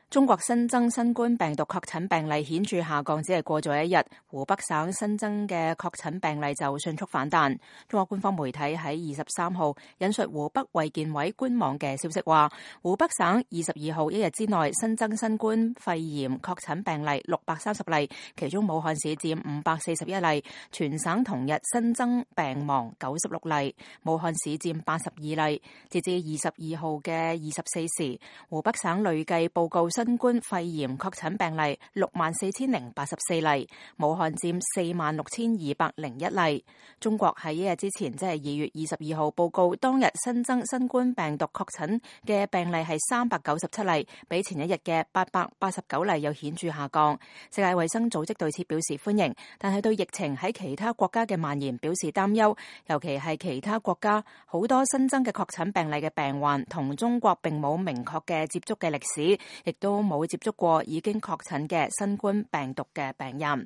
中國新增新冠病毒確診病例顯著下降，只係過咗一日，湖北省新增嘅確診病例就迅速反彈。中國官方媒體喺23號引述湖北衛健委官網嘅消息話，湖北省22號一日之內新增新冠肺炎確診病例630例，其中武漢市佔541例，全省同日新增病亡96例，武漢市佔82例。截至22號嘅24時，湖北省累計報告新冠肺炎確診病例64,084例，武漢佔46,201例。中國喺一日之前，即係2月22號報告當日新增新冠病毒確診嘅病例係397例，比前一日嘅889例有顯著下降。世界衛生組織對此表示歡迎，但係對疫情喺其他國家嘅蔓延表示擔憂，尤其係其他國家好多新增嘅確診病例嘅病患同中國並冇明確嘅接觸嘅歷史，亦都冇接觸過已經確診嘅新冠病毒嘅病人。